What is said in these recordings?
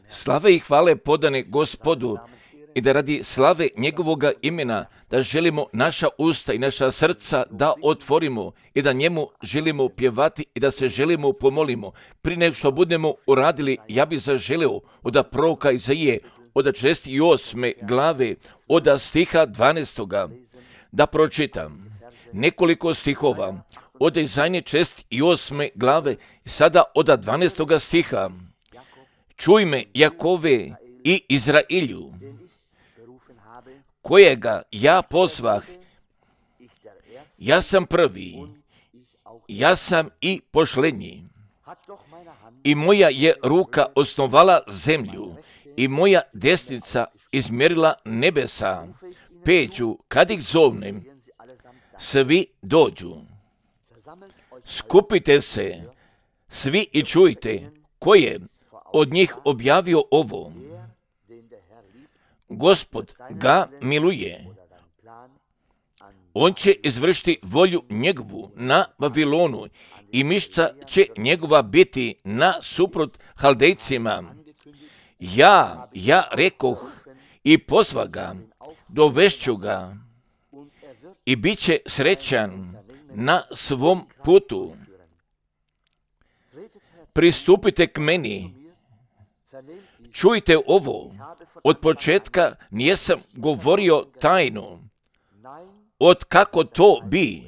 Slave i hvale podane Gospodu i da radi slave njegovoga imena, da želimo naša usta i naša srca da otvorimo i da njemu želimo pjevati i da se želimo pomolimo. Prije nego što budemo uradili, ja bih zaželio od proroka Izaije, od 68. glave, od stiha 12. da pročitam nekoliko stihova od Izaije 68. glave, sada od 12. stiha. Čuj me, Jakove i Izrailju, kojega ja pozvah, ja sam prvi, ja sam i pošlednji. I moja je ruka osnovala zemlju i moja desnica izmjerila nebesa. Peću, kad ih zovnem, svi dođu. Skupite se, svi i čujte, ko je od njih objavio ovo. Gospod ga miluje. On će izvršiti volju njegovu na Vavilonu i mišca će njegova biti nasuprot Haldejcima. Ja rekoh i pozva ga, dovešću ga i bit će srećan na svom putu. Pristupite k meni. Čujte ovo, od početka nijesam govorio tajnu, od kako to bi.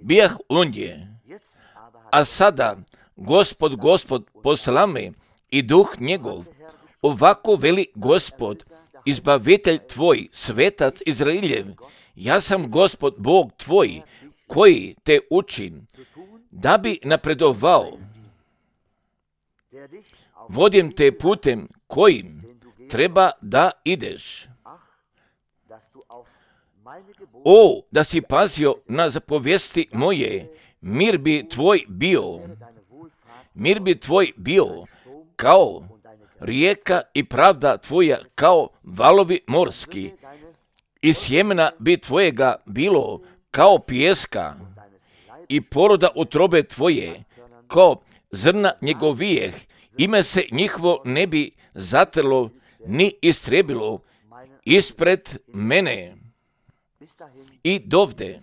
Bijah ondje, a sada Gospod posla me i duh njegov, ovako veli Gospod, izbavitelj tvoj, svetac Izrailjev, ja sam Gospod Bog tvoj, koji te učim, da bi napredovao. Vodim te putem kojim treba da ideš. O, da si pazio na zapovijesti moje, mir bi tvoj bio kao rijeka i pravda tvoja kao valovi morski. I sjemena bi tvojega bilo kao pijeska i poroda utrobe tvoje kao zrna njegovijeh. Ime se njihovo ne bi zatrlo ni istrebilo ispred mene. I dovde,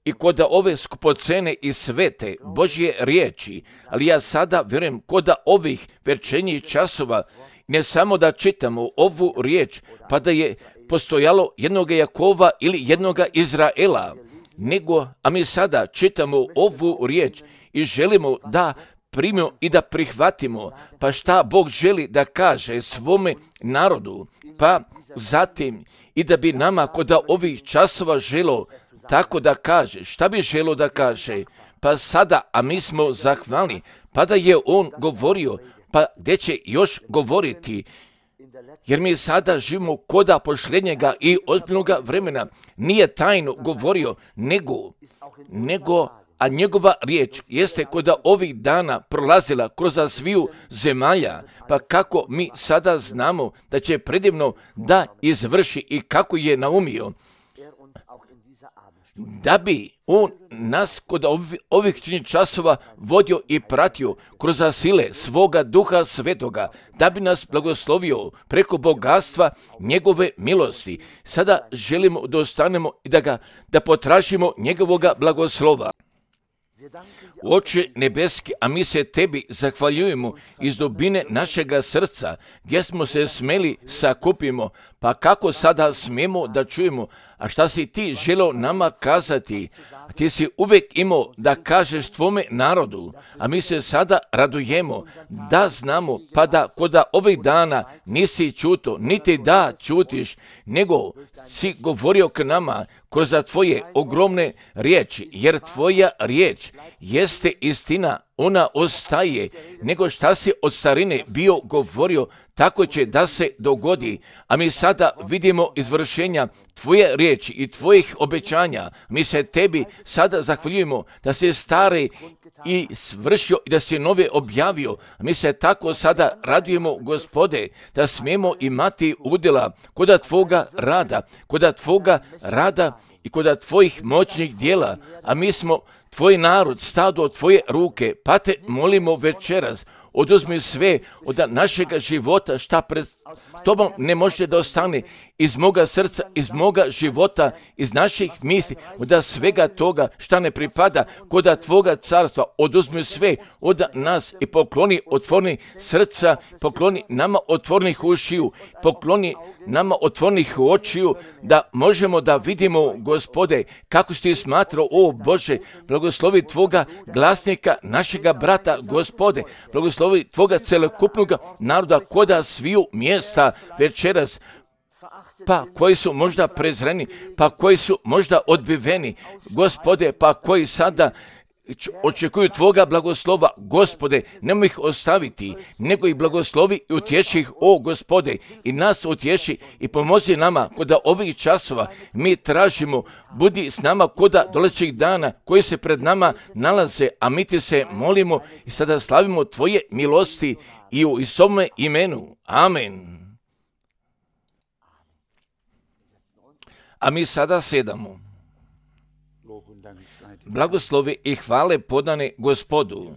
i kod ove skupocene i svete Božje riječi, ali ja sada vjerujem kod ovih večernjih časova, ne samo da čitamo ovu riječ, pa da je postojalo jednoga Jakova ili jednoga Izraela, nego, a mi sada čitamo ovu riječ i želimo da primimo i da prihvatimo, pa šta Bog želi da kaže svome narodu, pa zatim i da bi nama kod ovih časova želo tako da kaže, šta bi želo da kaže, pa sada, a mi smo zahvalni, pa da je on govorio, pa gdje će još govoriti, jer mi sada živimo koda posljednjega i ozbiljnoga vremena, nije tajno govorio, nego a njegova riječ jeste kod ovih dana prolazila kroz sviju zemalja, pa kako mi sada znamo da će predivno da izvrši i kako je naumio, da bi on nas kod ovih časova vodio i pratio kroz sile svoga duha svetoga, da bi nas blagoslovio preko bogatstva njegove milosti. Sada želimo da ostanemo i da potražimo njegovoga blagoslova. Oče nebeski, a mi se tebi zahvaljujemo iz dubine našega srca, gdje smo se smeli sakupimo, pa kako sada smemo da čujemo, a šta si ti želeo nama kazati? Ti si uvijek imao da kažeš tvome narodu, a mi se sada radujemo da znamo, pa da kod ovih dana nisi čuto, niti da čutiš, nego si govorio k nama kroz tvoje ogromne riječi, jer tvoja riječ jeste istina, ona ostaje, nego šta si od starine bio govorio, tako će da se dogodi, a mi sada vidimo izvršenja tvoje riječi i tvojih obećanja. Mi se tebi sada zahvaljujemo da si stari i svršio i da si nove objavio. Mi se tako sada radujemo, Gospode, da smemo imati udjela kod tvoga rada i kod tvojih moćnih dijela, a mi smo tvoj narod, stado tvoje ruke, pa te molimo večeras, oduzmi sve od našega života šta pred tobom ne može da ostane, iz moga srca, iz moga života, iz naših misli, od svega toga šta ne pripada kod tvoga carstva, oduzmi sve od nas i pokloni otvorni srca, pokloni nama otvornih ušiju, pokloni nama otvornih očiju, da možemo da vidimo, Gospode, kako si ti smatrao, o Bože, blagoslovi tvoga glasnika, našega brata, Gospode, blagoslovi tvoga celokupnog naroda koda sviju mjesta večeras, pa koji su možda prezreni, pa koji su možda odbiveni, Gospode, pa koji sada očekuju tvoga blagoslova, Gospode, nemoj ih ostaviti, nego ih blagoslovi i utješi ih, o Gospode, i nas utješi i pomozi nama kod ovih časova. Mi tražimo, budi s nama kod dolazećih dana koji se pred nama nalaze, a mi ti se molimo i sada slavimo tvoje milosti i u Isovome imenu. Amen. A mi sada sedamo. Blagoslovi i hvale podane Gospodu.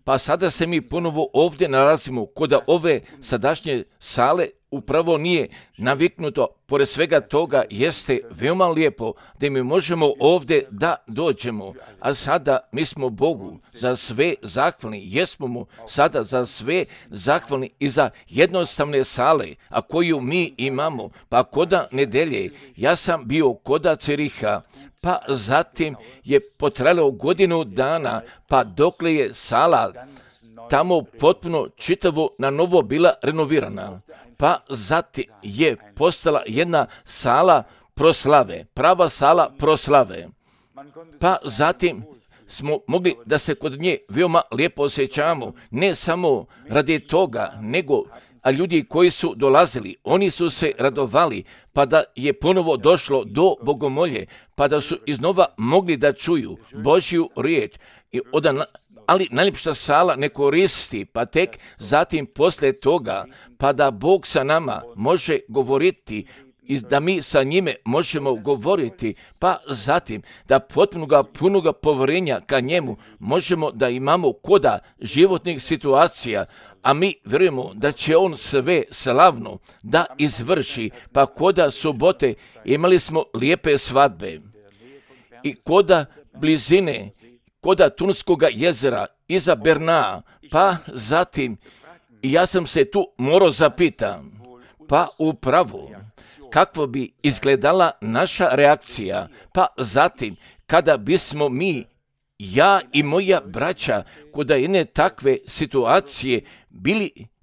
Pa sada se mi ponovo ovdje nalazimo kod ove sadašnje sale, upravo nije naviknuto, pored svega toga jeste veoma lijepo da mi možemo ovdje da dođemo, a sada mi smo Bogu za sve zahvalni, jesmo mu sada za sve zahvalni i za jednostavne sale, a koju mi imamo, pa koda nedelje, ja sam bio koda Ceriha, pa zatim je potrajalo godinu dana, pa dokle je sala tamo potpuno čitavo na novo bila renovirana, pa zatim je postala jedna sala proslave, prava sala proslave, pa zatim smo mogli da se kod nje veoma lijepo osjećamo, ne samo radi toga, nego a ljudi koji su dolazili, oni su se radovali, pa da je ponovo došlo do bogomolje, pa da su iznova mogli da čuju Božju riječ, ali najljepša sala ne koristi, pa tek zatim poslije toga, pa da Bog sa nama može govoriti i da mi sa njime možemo govoriti, pa zatim da punoga povjerenja ka njemu možemo da imamo koda životnih situacija, a mi vjerujemo da će on sve slavno da izvrši, pa koda subote imali smo lijepe svadbe i koda blizine, koda Tunskoga jezera, iza Bernaa, pa zatim i ja sam se tu morao zapitam, pa upravo kakva bi izgledala naša reakcija, pa zatim kada bismo mi, ja i moja braća, kod jedne takve situacije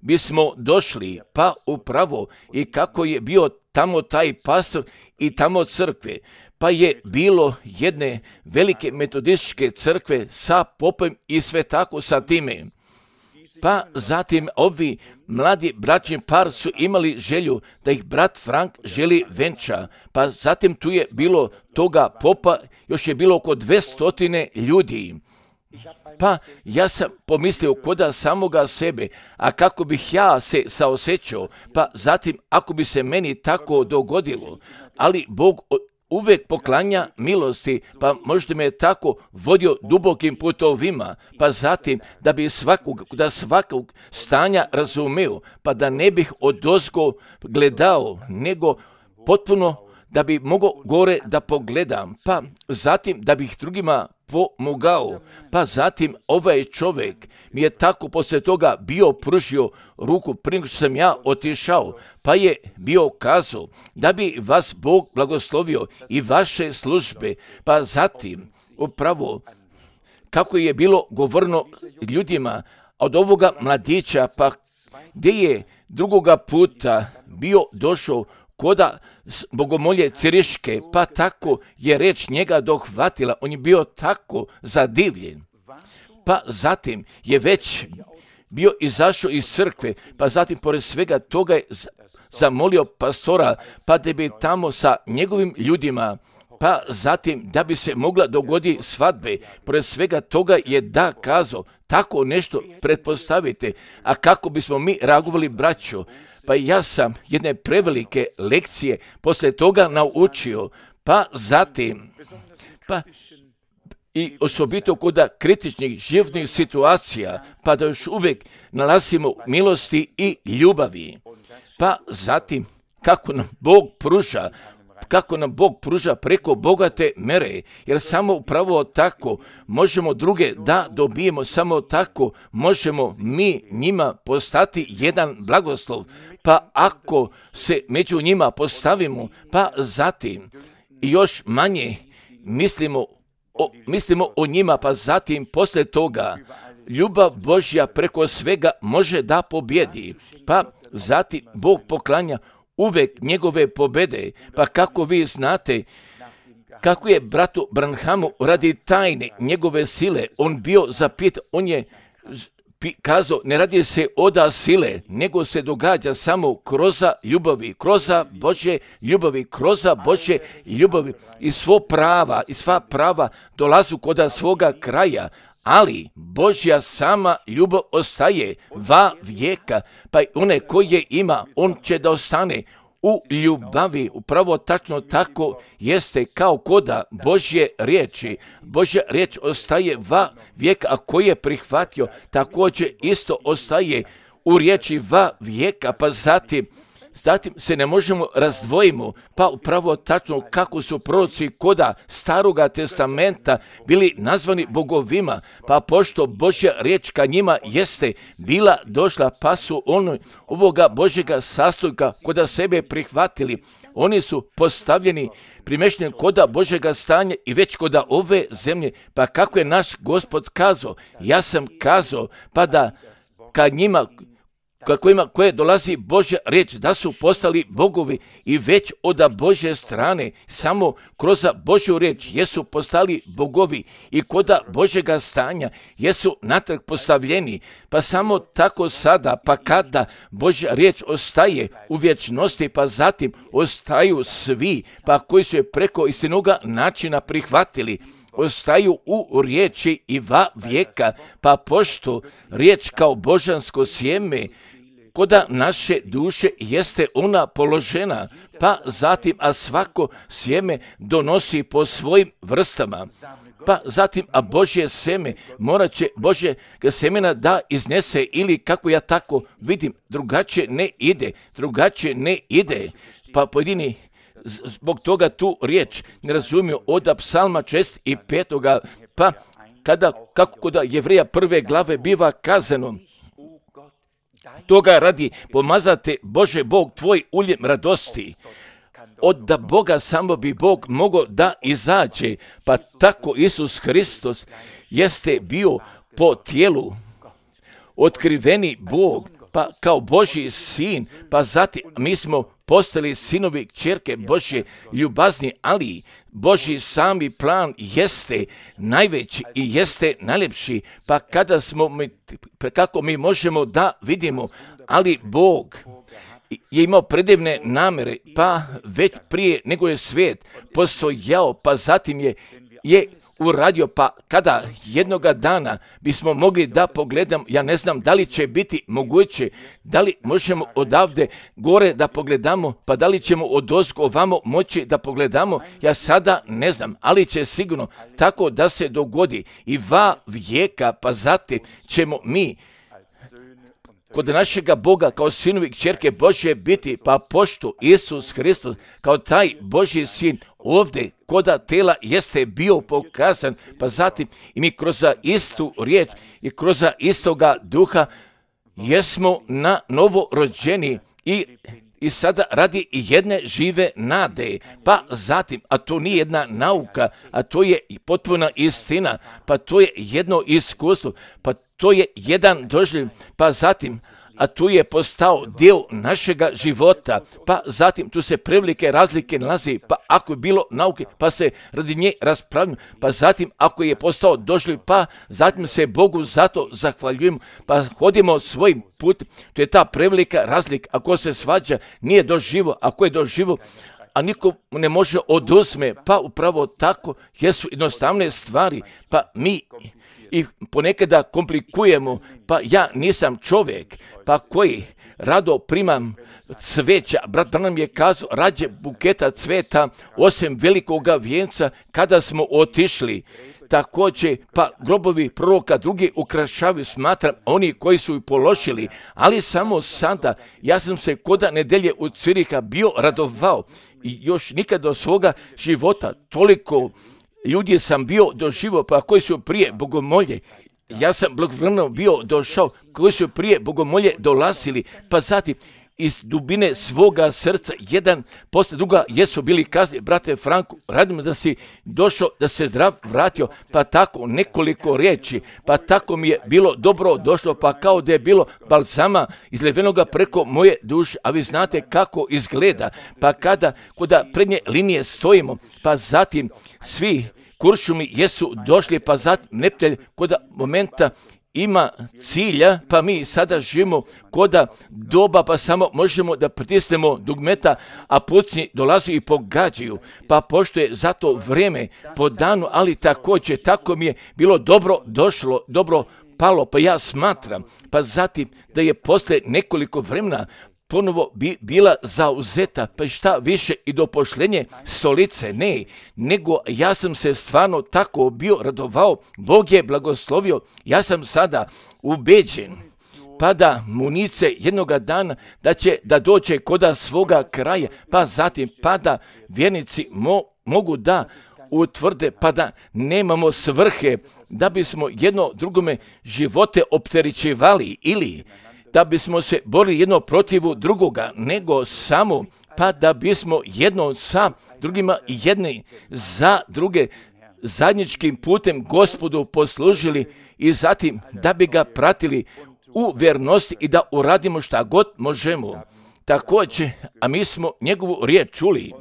bismo došli, pa upravo i kako je bio tamo taj pastor i tamo crkve, pa je bilo jedne velike metodističke crkve sa popom i sve tako sa time. Pa zatim ovi mladi bračni par su imali želju da ih brat Frank želi venča, pa zatim tu je bilo toga popa, još je bilo oko 200 ljudi. Pa ja sam pomislio koda samoga sebe, a kako bih ja se saosjećao, pa zatim ako bi se meni tako dogodilo, ali Bog uvijek poklanja milosti, pa možda me je tako vodio dubokim putovima, pa zatim da svakog stanja razumeo, pa da ne bih odozgo gledao, nego potpuno da bi mogao gore da pogledam, pa zatim da bih drugima pomogao, pa zatim ovaj čovjek mi je tako poslije toga bio pružio ruku prije nego što sam ja otišao, pa je bio kazao da bi vas Bog blagoslovio i vaše službe, pa zatim upravo kako je bilo govorno ljudima od ovoga mladića, pa gdje je drugoga puta bio došao koda bogomolje Ceriške, pa tako je reč njega dohvatila, on je bio tako zadivljen, pa zatim je već bio izašao iz crkve, pa zatim pored svega toga je zamolio pastora, pa da bi tamo sa njegovim ljudima, pa zatim da bi se mogla dogoditi svadbe, pored svega toga je da kazao, tako nešto pretpostavite, a kako bismo mi reagovali, braćo, pa ja sam jedne prevelike lekcije poslije toga naučio, pa zatim, pa i osobito kod kritičnih životnih situacija, pa da još uvijek nalazimo milosti i ljubavi. Pa zatim, kako nam Bog pruža preko bogate mere, jer samo upravo tako možemo druge da dobijemo, samo tako možemo mi njima postati jedan blagoslov, pa ako se među njima postavimo, pa zatim i još manje mislimo o njima, pa zatim poslije toga ljubav Božja preko svega može da pobjedi, pa zatim Bog poklanja uvijek njegove pobjede, pa kako vi znate, kako je bratu Branhamu radi tajne njegove sile, on bio zapitan, on je kazao, ne radi se oda sile, nego se događa samo kroz ljubavi, kroz Božje ljubavi, kroz Božje ljubavi i sva prava dolazu kod svoga kraja, ali Božja sama ljubav ostaje va vijeka, pa i one koje ima, on će da ostane u ljubavi. Upravo tačno tako jeste kao koda Božje riječi. Božja riječ ostaje va vijeka, a ko je prihvatio, također isto ostaje u riječi va vijeka, pa zatim se ne možemo razdvojimo, pa upravo tačno kako su proroci koda Staroga testamenta bili nazvani bogovima, pa pošto Božja riječ ka njima jeste bila došla, pa su ovoga Božjega sastojka koda sebe prihvatili, oni su postavljeni, primješteni koda Božjega stanja i već koda ove zemlje, pa kako je naš Gospod kazao, ja sam kazao, pa da ka njima koje dolazi Božja riječ, da su postali bogovi i već od Božje strane, samo kroz Božju riječ jesu postali bogovi i koda Božjega stanja jesu natrag postavljeni, pa samo tako sada, pa kada Božja riječ ostaje u vječnosti, pa zatim ostaju svi, pa koji su je preko istinoga načina prihvatili, ostaju u riječi i va vijeka, pa pošto riječ kao božansko sjeme koda naše duše jeste ona položena, pa zatim, a svako sjeme donosi po svojim vrstama, pa zatim, a Božje seme morat će Božjega semena da iznese, ili kako ja tako vidim, drugačije ne ide, pa pojedini zbog toga tu riječ ne razumiju od psalma 65. Pa kako kod Jevreja 1. glave biva kazano, toga radi pomazate Bože Bog tvoj uljem radosti. Od da Boga samo bi Bog mogao da izađe, pa tako Isus Hristos jeste bio po tijelu otkriveni Bog, pa kao Božji sin, pa zatim mi smo postali sinovi kćerke Božje ljubazni, ali Božji sami plan jeste najveći i jeste najljepši, pa kako mi možemo da vidimo, ali Bog je imao predivne namere, pa već prije nego je svijet postojao, pa zatim je uradio, pa kada jednoga dana bismo mogli da pogledamo, ja ne znam da li će biti moguće, da li možemo odavde gore da pogledamo, pa da li ćemo odozgo ovamo moći da pogledamo, ja sada ne znam, ali će sigurno tako da se dogodi i va vijeka, pa zatim ćemo mi kod našega Boga kao sinovi kćerke Božje biti, pa pošto Isus Hristos kao taj Božji sin ovdje koda tela jeste bio pokazan, pa zatim i mi kroz istu riječ i kroz istoga duha jesmo na novo rođeni i sada radi jedne žive nade, pa zatim, a to nije jedna nauka, a to je potpuna istina, pa to je jedno iskustvo, pa to je jedan doživljaj, pa zatim, a tu je postao dio našega života, pa zatim tu se prevelike razlike nalazi, pa ako je bilo nauke, pa se radi nje raspravljamo, pa zatim ako je postao doživljaj, pa zatim se Bogu zato zahvaljujemo, pa hodimo svojim putem, to je ta prevelika razlika, ako se svađa, nije doživo, ako je doživo, a niko mu ne može oduzme, pa upravo tako jesu jednostavne stvari, pa mi ih ponekada komplikujemo, pa ja nisam čovjek, pa koji rado primam cveća. Brat Branham je kazao, rađe buketa cveta osim velikoga vijenca kada smo otišli. Također, pa grobovi proroka drugi ukrašavaju, smatram, oni koji su ih položili, ali samo sada, ja sam se koda nedelje u Ciriha bio radovao i još nikad do svoga života toliko ljudi sam bio doživio, pa koji su prije bogomolje. Ja sam blagovremeno bio došao, koji su prije bogomolje dolazili, pa zatim iz dubine svoga srca, jedan posle druga, jesu bili kazni, brate Franku, radimo da si došao, da se zdrav vratio, pa tako nekoliko riječi, pa tako mi je bilo dobro došlo, pa kao da je bilo balzama izlevenoga preko moje duše, a vi znate kako izgleda, pa kada prednje linije stojimo, pa zatim svi kuršumi jesu došli, pa zatim neptelj koda momenta ima cilja, pa mi sada živimo koda doba, pa samo možemo da pritisnemo dugmeta, a pucnji dolazu i pogađaju, pa pošto je zato vrijeme po danu, ali također tako mi je bilo dobro došlo, dobro palo, pa ja smatram, pa zatim da je posle nekoliko vremena ponovo bila zauzeta, pa šta više i do pošljenje stolice, ne, nego ja sam se stvarno tako bio radovao, Bog je blagoslovio, ja sam sada ubeđen, pa da munice jednoga dana da će da dođe koda svoga kraja, pa zatim pa da vjernici mogu da utvrde, pa da nemamo svrhe da bismo jedno drugome živote opterećivali ili da bismo se borili jedno protivu drugoga, nego samo pa da bismo jedno sa drugima i jedni za druge zajedničkim putem Gospodu poslužili i zatim da bi ga pratili u vjernosti i da uradimo šta god možemo. Također, a mi smo njegovu riječ čuli,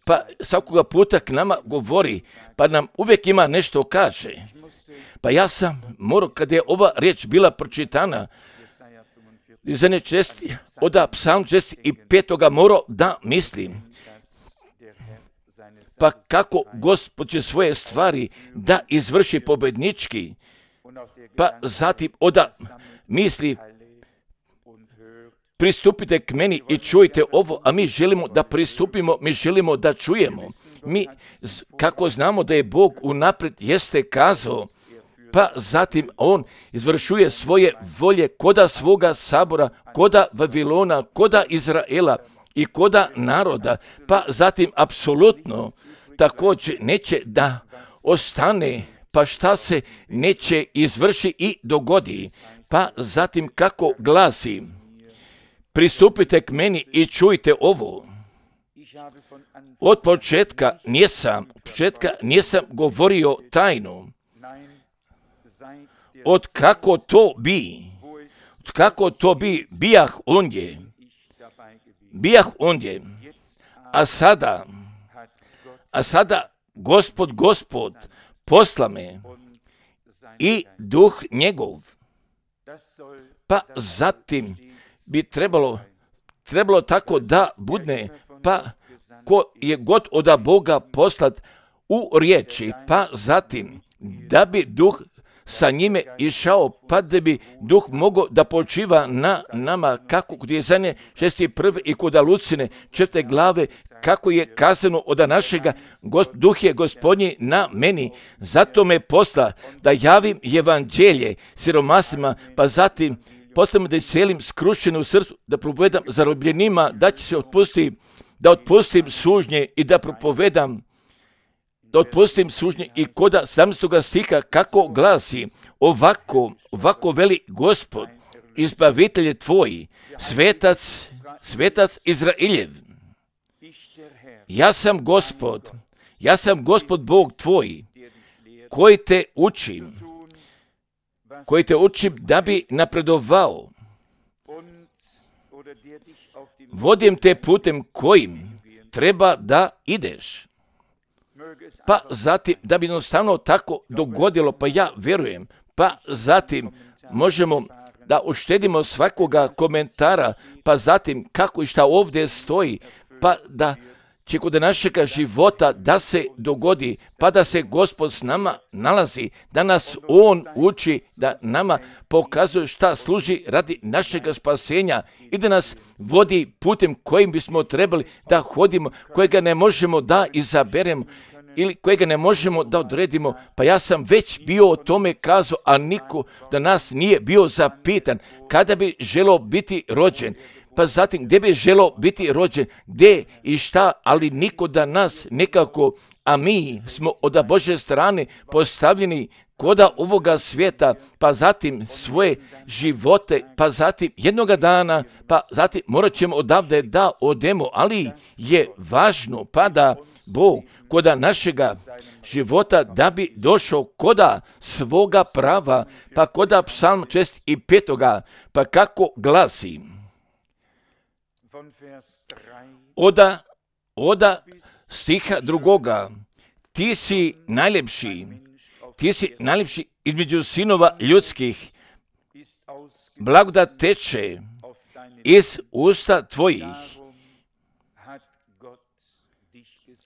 pa svakoga puta k nama govori, pa nam uvijek ima nešto kaže. Pa ja sam morao, kada je ova riječ bila pročitana, dizanje česti, od psalm 65. morao da mislim. Pa kako Gospod će svoje stvari da izvrši pobednički, pa zatim oda misli, pristupite k meni i čujte ovo, a mi želimo da pristupimo, mi želimo da čujemo. Mi, kako znamo da je Bog unaprijed jeste kazao, pa zatim on izvršuje svoje volje koda svoga sabora, koda Vavilona, koda Izraela i koda naroda, pa zatim apsolutno također neće da ostane, pa šta se neće izvrši i dogodi. Pa zatim kako glasi, pristupite k meni i čujte ovo. Od početka nisam govorio tajnu. Od kako to bi, bijah ondje, a sada Gospod posla me i duh njegov, pa zatim bi trebalo tako da budne, pa ko je god od Boga poslat u riječi, pa zatim da bi duh sa njime išao, pa da bi duh mogao da počiva na nama, kako kod Jezanje 61. i kod Lucine 4. glave, kako je kazano od našega, duh je Gospodnji na meni, zato me posla da javim evanđelje siromasima, pa zatim postavim da iscelim skrušene u srcu, da propovedam zarobljenima, da će se otpustim sužnje i da propovedam, da otpustim sužnje i koda 17. stiha kako glasi, ovako veli Gospod, izbavitelje tvoji, svetac Izraeljev. Ja sam Gospod Bog tvoj, koji te učim da bi napredovao. Vodim te putem kojim treba da ideš. Pa zatim, da bi jednostavno tako dogodilo, pa ja vjerujem, pa zatim možemo da uštedimo svakoga komentara, pa zatim kako i šta ovdje stoji, pa da će kod našega života da se dogodi, pa da se Gospod s nama nalazi, da nas On uči, da nama pokazuje šta služi radi našega spasenja i da nas vodi putem kojim bismo trebali da hodimo, kojega ne možemo da izaberemo ili kojega ne možemo da odredimo. Pa ja sam već bio o tome kazao, a niko da nas nije bio zapitan kada bi želeo biti rođen. Pa zatim gdje bi želeo biti rođen, gdje i šta, ali niko da nas nekako, a mi smo od Božje strane postavljeni koda ovoga svijeta, pa zatim svoje živote, pa zatim jednoga dana, pa zatim morat ćemo odavde da odemo, ali je važno pa da Bog koda našega života da bi došao koda svoga prava, pa koda Psalm 65. pa kako glasi. Oda stiha 2. Ti si najljepši između sinova ljudskih, blagodat teče iz usta tvojih.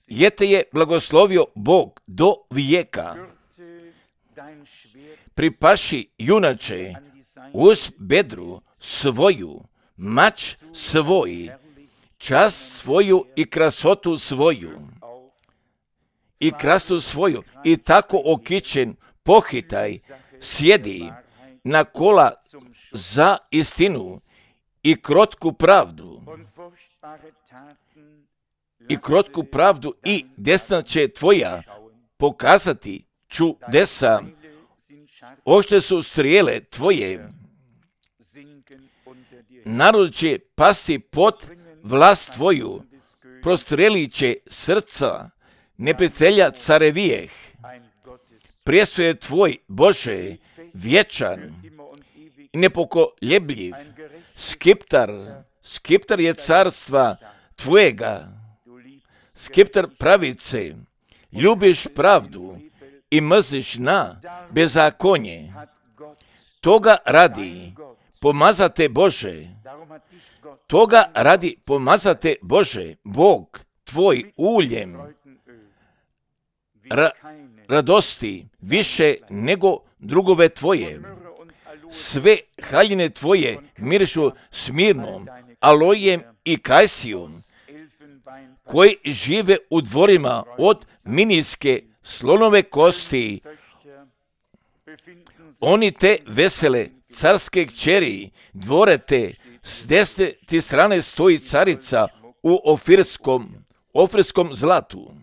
Jer te je blagoslovio Bog do vijeka. Pripaši junače uz bedru svoju, mač svoj, čast svoju i krasotu svoju. I tako okićen pohitaj, sjedi na kola za istinu i krotku pravdu i desna će tvoja pokazati čudesa. Oštre su strijele tvoje. Narod će pasti pod vlast tvoju, prostrelit će srca neprijatelja carevijeh. Prijestol je tvoj, Bože, vječan i nepokoljebljiv. Skiptar je carstva tvojega, skiptar pravice. Ljubiš pravdu i mrziš na bezakonje. Toga radi pomazate Bože, Bog tvoj uljem radosti više nego drugove tvoje. Sve haljine tvoje mirišu smirnom, alojem i kajsijom, koji žive u dvorima od miniske slonove kosti. Oni te vesele carske kćeri, dvore te, s desne ti strane stoji carica u ofirskom zlatu.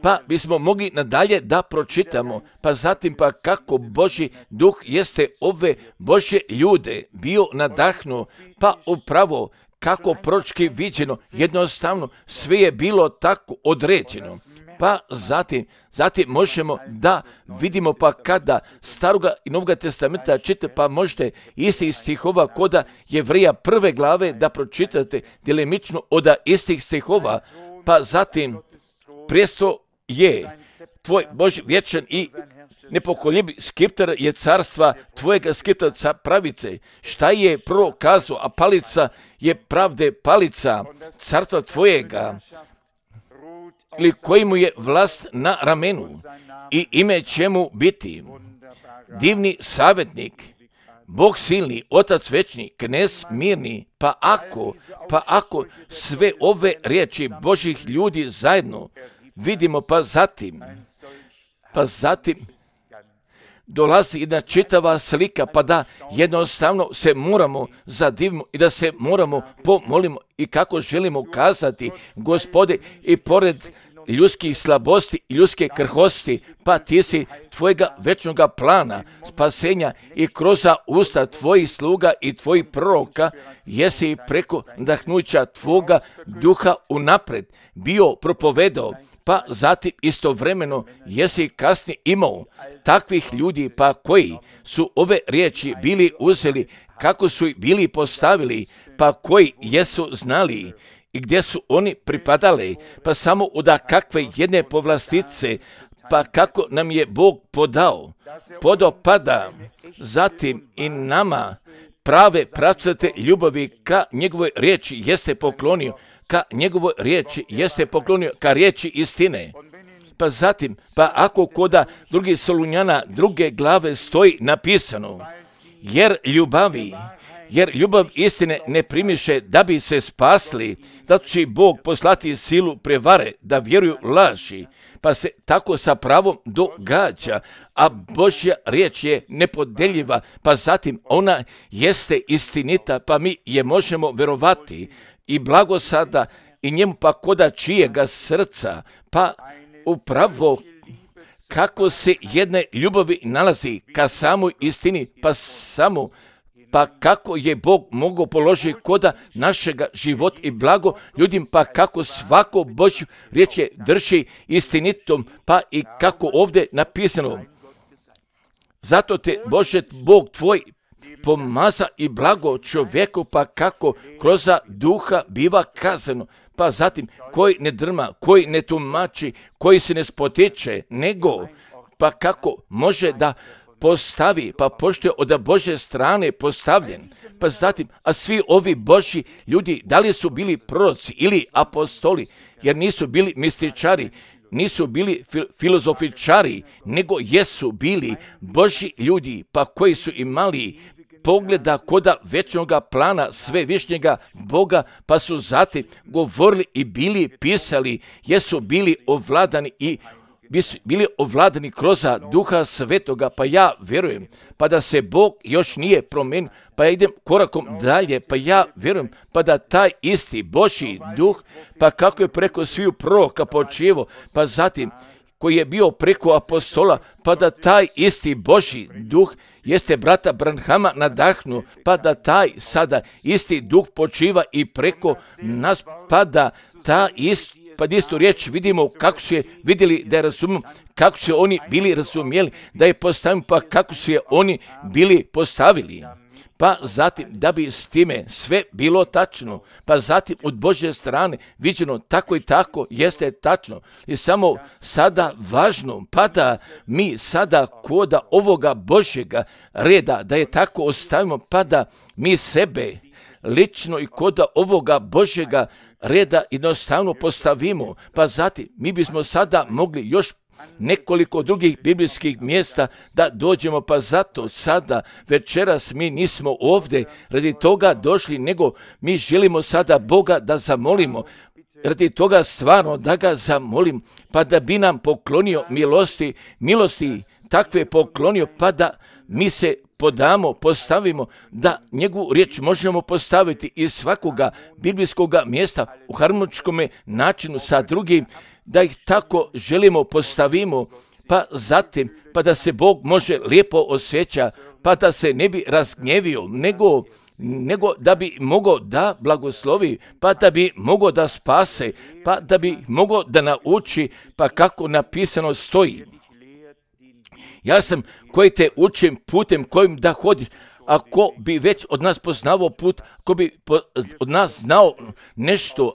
Pa bismo mogli nadalje da pročitamo, pa zatim pa kako Božji duh jeste ove Božje ljude bio nadahnuo, pa upravo kako proročki viđeno, jednostavno sve je bilo tako određeno. Pa zatim možemo da vidimo pa kada Staroga i Novoga testamenta čitate, pa možete istih stihova koda Jevrija 1. glave da pročitate djelimično od istih stihova, pa zatim prijestol je tvoj Božji vječan i nepokoljebi, skiptar je carstva tvojega, skiptar pravice. Šta je prvo kazao, a palica je pravde palica carstva tvojega, ili koji mu je vlast na ramenu i ime će mu biti divni savjetnik, Bog silni, Otac večni, knez mirni. Pa ako sve ove riječi Božjih ljudi zajedno vidimo, pa zatim dolazi jedna čitava slika, pa da jednostavno se moramo zadivimo i da se moramo pomolimo i kako želimo kazati, Gospode, i pored ljudskih slabosti i ljudske krhosti, pa ti si tvojega večnoga plana spasenja i kroz usta tvojih sluga i tvojih proroka jesi preko nadahnuća tvoga duha unapred bio propovedao, pa zatim istovremeno jesi kasnije imao takvih ljudi pa koji su ove riječi bili uzeli, kako su ih bili postavili, pa koji jesu znali i gdje su oni pripadali, pa samo od kakve jedne povlastice, pa kako nam je Bog podao pada zatim i nama prave pravcate ljubavi ka njegovoj riječi jeste poklonio, ka njegovoj riječi, jeste poklonio ka riječi istine. Pa zatim, pa ako koda drugih Solunjana, 2. glave stoji napisano, jer ljubav istine ne primiše da bi se spasli, zato će Bog poslati silu prevare da vjeruju laži, pa se tako sa pravom događa, a Božja riječ je nepodeljiva, pa zatim ona jeste istinita, pa mi je možemo verovati i blago sada i njemu pa koda čijega srca, pa upravo kako se jedne ljubavi nalazi ka samoj istini, pa kako je Bog mogao položiti koda našega života i blago ljudima, pa kako svako Božju riječ je drži istinitom, pa i kako ovdje napisano. Zato te Bože Bog tvoj pomaza i blago čovjeku, pa kako kroz duha biva kazano, pa zatim koji ne drma, koji ne tumači, koji se ne spotiče, nego pa kako može da postavi, pa pošto je od Božje strane postavljen, pa zatim, a svi ovi Božji ljudi, da li su bili proroci ili apostoli, jer nisu bili mističari, nisu bili filozofičari, nego jesu bili Božji ljudi, pa koji su imali pogleda koda večnoga plana svevišnjega Boga, pa su zatim govorili i bili pisali, jesu bili ovladani kroz Duha Svetoga, pa ja vjerujem, pa da se Bog još nije promenio, pa ja idem korakom dalje, pa ja vjerujem, pa da taj isti Božji duh, pa kako je preko sviju proroka počevo, pa zatim koji je bio preko apostola, pa da taj isti Božji duh jeste brata Branhama nadahnu, pa da taj sada isti duh počiva i preko nas, pa da ta istu riječ vidimo kako su je vidjeli da je razumiju, kako su oni bili razumjeli, da je postavim, pa kako su je oni bili postavili. Pa zatim da bi s time sve bilo tačno, pa zatim od Božje strane viđeno tako i tako jeste tačno. I samo sada važno, pa da mi sada koda ovoga Božjega reda, da je tako ostavimo, pa da mi sebe lično i koda ovoga Božjega reda jednostavno postavimo, pa zatim mi bismo sada mogli još nekoliko drugih biblijskih mjesta da dođemo, pa zato sada večeras mi nismo ovdje radi toga došli, nego mi želimo sada Boga da zamolimo, radi toga stvarno da ga zamolim, pa da bi nam poklonio milosti takve poklonio, pa da mi se postavimo, da njegovu riječ možemo postaviti iz svakoga biblijskoga mjesta u harmoničkom načinu sa drugim, da ih tako želimo postavimo, pa zatim, pa da se Bog može lijepo osjeća, pa da se ne bi razgnjevio, nego da bi mogao da blagoslovi, pa da bi mogao da spase, pa da bi mogao da nauči, pa kako napisano stoji. Ja sam koji te učim putem kojim da hodiš. Ako bi već od nas poznavao put, ako bi od nas znao nešto,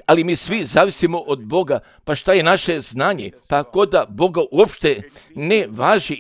ali mi svi zavisimo od Boga, pa šta je naše znanje? Pa ako da Boga uopšte ne važi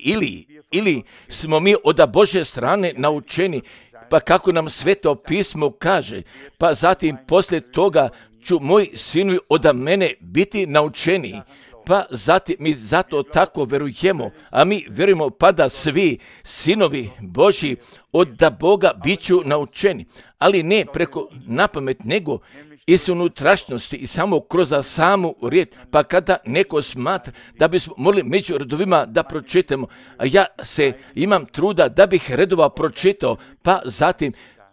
ili smo mi od Božje strane naučeni, pa kako nam Sveto pismo kaže, pa zatim poslije toga ću moji sinovi od mene biti naučeni. Pa zatim mi zato tako verujemo, a mi vjerujemo pa da svi sinovi Božji od Boga bit ću naučeni, ali ne preko napamet, nego iz unutrašnjosti i samo kroz samu riječ, pa kada neko smatra da bismo mogli među redovima da pročitamo, a ja se imam truda da bih redova pročitao, pa zatim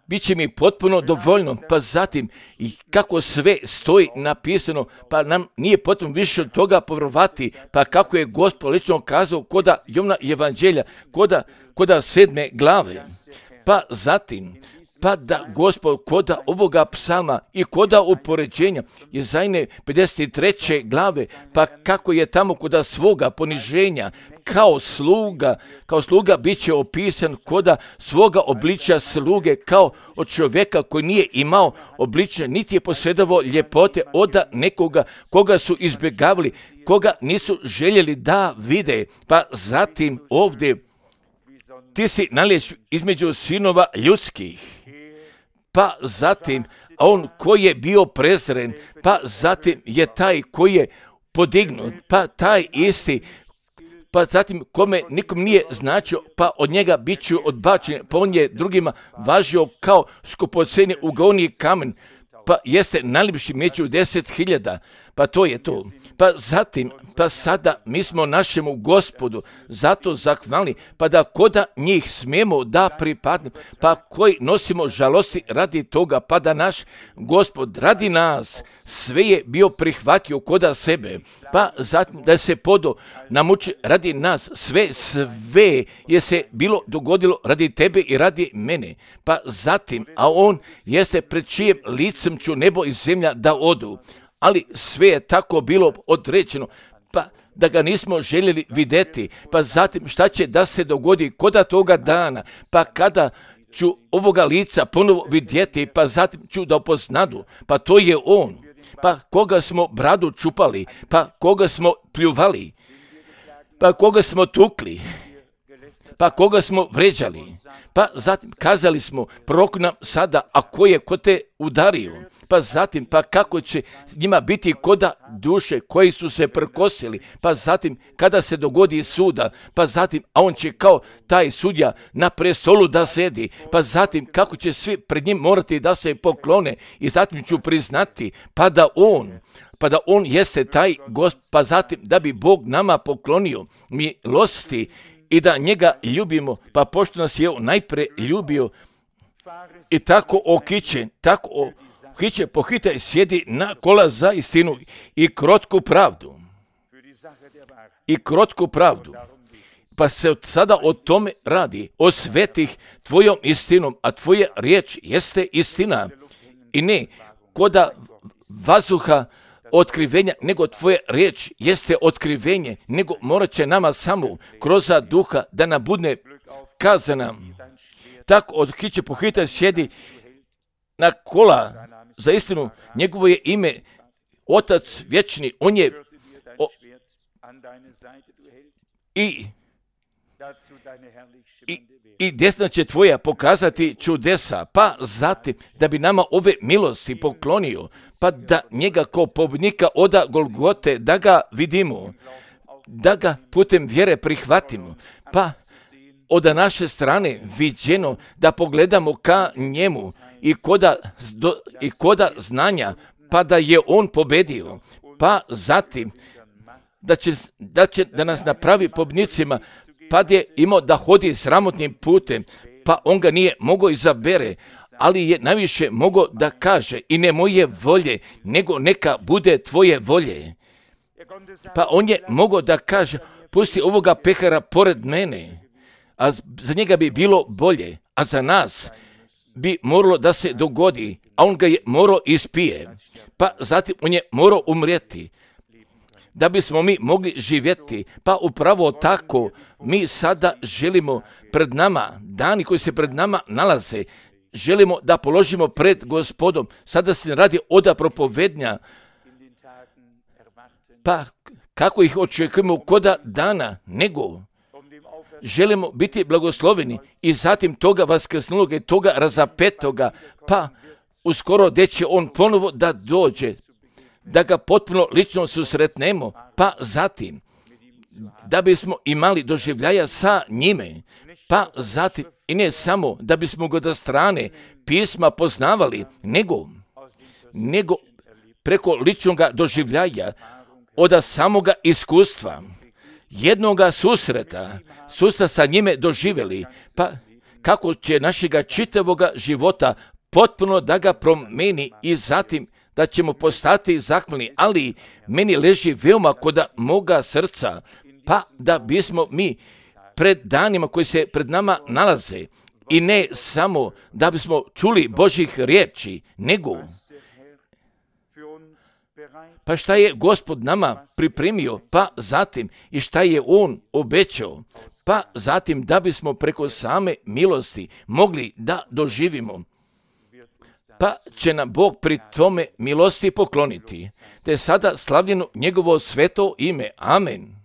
bit će mi potpuno dovoljno, pa zatim i kako sve stoji napisano, pa nam nije potrebno više od toga povjerovati, pa kako je Gospod lično kazao koda Jovana evanđelja, koda 7. glave, pa zatim, pa da Gospod koda ovoga psalma i koda upoređenja Jezajne 53. glave, pa kako je tamo koda svoga poniženja kao sluga bit će opisan koda svoga obličja sluge, kao od čovjeka koji nije imao obličja, niti je posjedovao ljepote od nekoga koga su izbjegavali, koga nisu željeli da vide. Pa zatim ovdje ti si nalez između sinova ljudskih. Pa zatim, a on koji je bio prezren, pa zatim je taj koji je podignut, pa taj isti, pa zatim kome nikom nije značio, pa od njega bit ću odbačen, pa on je drugima važio kao skupoceni ugaoni kamen, pa jeste najljepši među 10.000, pa to je to. Pa zatim, pa sada mi smo našemu Gospodu zato zahvalni, pa da koda njih smijemo da pripadne, pa koji nosimo žalosti radi toga, pa da naš Gospod radi nas sve je bio prihvatio koda sebe, pa zatim da se podo namuči radi nas, sve je se bilo dogodilo radi tebe i radi mene, pa zatim, a on jeste pred čijem licem ću nebo i zemlja da odu, ali sve je tako bilo određeno, pa da ga nismo željeli vidjeti, pa zatim šta će da se dogodi koda toga dana, pa kada ću ovoga lica ponovo vidjeti, pa zatim ću da upoznadu, pa to je on, pa koga smo bradu čupali, pa koga smo pljuvali, pa koga smo tukli, pa koga smo vređali, pa zatim kazali smo prorok nam sada, a ko je ko te udario, pa zatim pa kako će njima biti koda duše koji su se prkosili, pa zatim kada se dogodi suda, pa zatim a on će kao taj sudja na prestolu da sedi, pa zatim kako će svi pred njim morati da se poklone i zatim ću priznati pa da on jeste taj Gospod, pa zatim da bi Bog nama poklonio milosti i da njega ljubimo, pa pošto nas je najpre ljubio i tako okićen, pohitaj sjedi na kola za istinu i krotku pravdu. Pa se od sada o tome radi, o svetih tvojom istinom, a tvoja riječ jeste istina i ne koda vazduha otkrivenja, nego tvoja riječ jeste otkrivenje, nego morat će nama samo kroz duha da nam bude kazana. Tako okiće pohitaj sjedi na kola za istinu, njegovo je ime Otac vječni, on je i desna će tvoja pokazati čudesa, pa zatim da bi nama ove milosti poklonio, pa da njega kao pobjednika oda Golgote, da ga vidimo, da ga putem vjere prihvatimo, pa od naše strane viđeno da pogledamo ka njemu i koda znanja, pa da je on pobedio, pa zatim da nas napravi pobjednicima, pa je imao da hodi sramotnim putem, pa on ga nije mogao izabere, ali je najviše mogao da kaže i ne moje volje, nego neka bude tvoje volje. Pa on je mogao da kaže, pusti ovoga pehara pored mene, a za njega bi bilo bolje, a za nas bi moralo da se dogodi, a on ga je morao ispije, pa zatim on je morao umrijeti, da bismo mi mogli živjeti, pa upravo tako mi sada želimo pred nama, dani koji se pred nama nalaze, želimo da položimo pred Gospodom, sada se radi oda propovednja, pa kako ih očekujemo koda dana, nego želimo biti blagosloveni i zatim toga vaskrsnuloga i toga razapetoga, pa uskoro gdje će on ponovo da dođe, da ga potpuno lično susretnemo, pa zatim da bismo imali doživljaja sa njime, pa zatim i ne samo da bismo ga da strane pisma poznavali, nego preko ličnog doživljaja, od samoga iskustva, jednoga susreta sa njime doživjeli, pa kako će našega čitavoga života potpuno da ga promeni i zatim da ćemo postati zahvalni, ali meni leži veoma kod moga srca, pa da bismo mi pred danima koji se pred nama nalaze i ne samo da bismo čuli Božjih riječi, nego pa šta je Gospod nama pripremio, pa zatim i šta je On obećao, pa zatim da bismo preko same milosti mogli da doživimo, pa će nam Bog pri tome milosti pokloniti, te sada slavljeno njegovo sveto ime. Amen.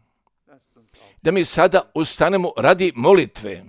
Da mi sada ustanemo radi molitve.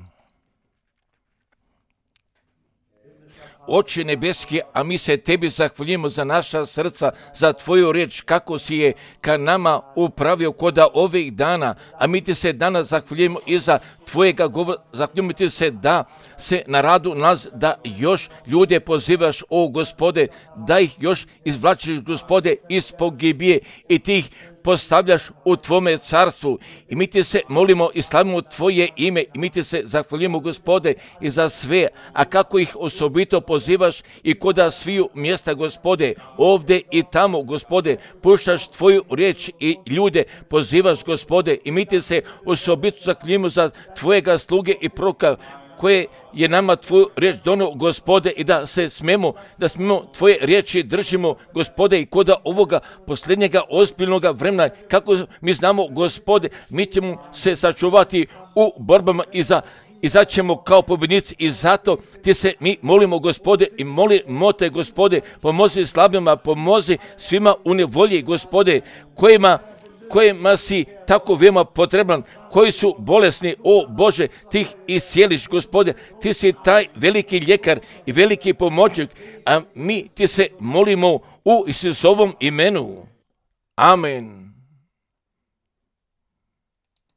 Oče nebeski, a mi se tebi zahvaljujemo za naša srca, za tvoju riječ, kako si je ka nama upravio koda ovih dana, a mi ti se danas zahvaljujemo i za tvojega govora, zahvaljujemo ti se da se na radu nas, da još ljude pozivaš, o Gospode, da ih još izvlačiš, Gospode, iz pogibije i ti ih postavljaš u tvome carstvu i mi ti se molimo i slavimo tvoje ime i mi ti se zahvaljujemo, Gospode, i za sve, a kako ih osobito pozivaš i koda sviju mjesta, Gospode, ovdje i tamo, Gospode, puštaš tvoju riječ i ljude pozivaš, Gospode, i mi ti se osobito zahvaljujemo za tvojega sluge i proroka koje je nama tvoju riječ donio, Gospode, i da smemo tvoje riječi držimo, Gospode, i koda ovoga posljednjega ozbiljnoga vremena, kako mi znamo, Gospode, mi ćemo se sačuvati u borbama izaćemo kao pobjednici i zato ti se mi molimo, Gospode, i molimo te, Gospode, pomozi slabima, pomozi svima u nevolji, Gospode, kojima si tako veoma potreban, koji su bolesni, o Bože, ti ih iscijeliš, Gospode, ti si taj veliki ljekar i veliki pomoćnik, a mi ti se molimo u Isusovom imenu. Amen.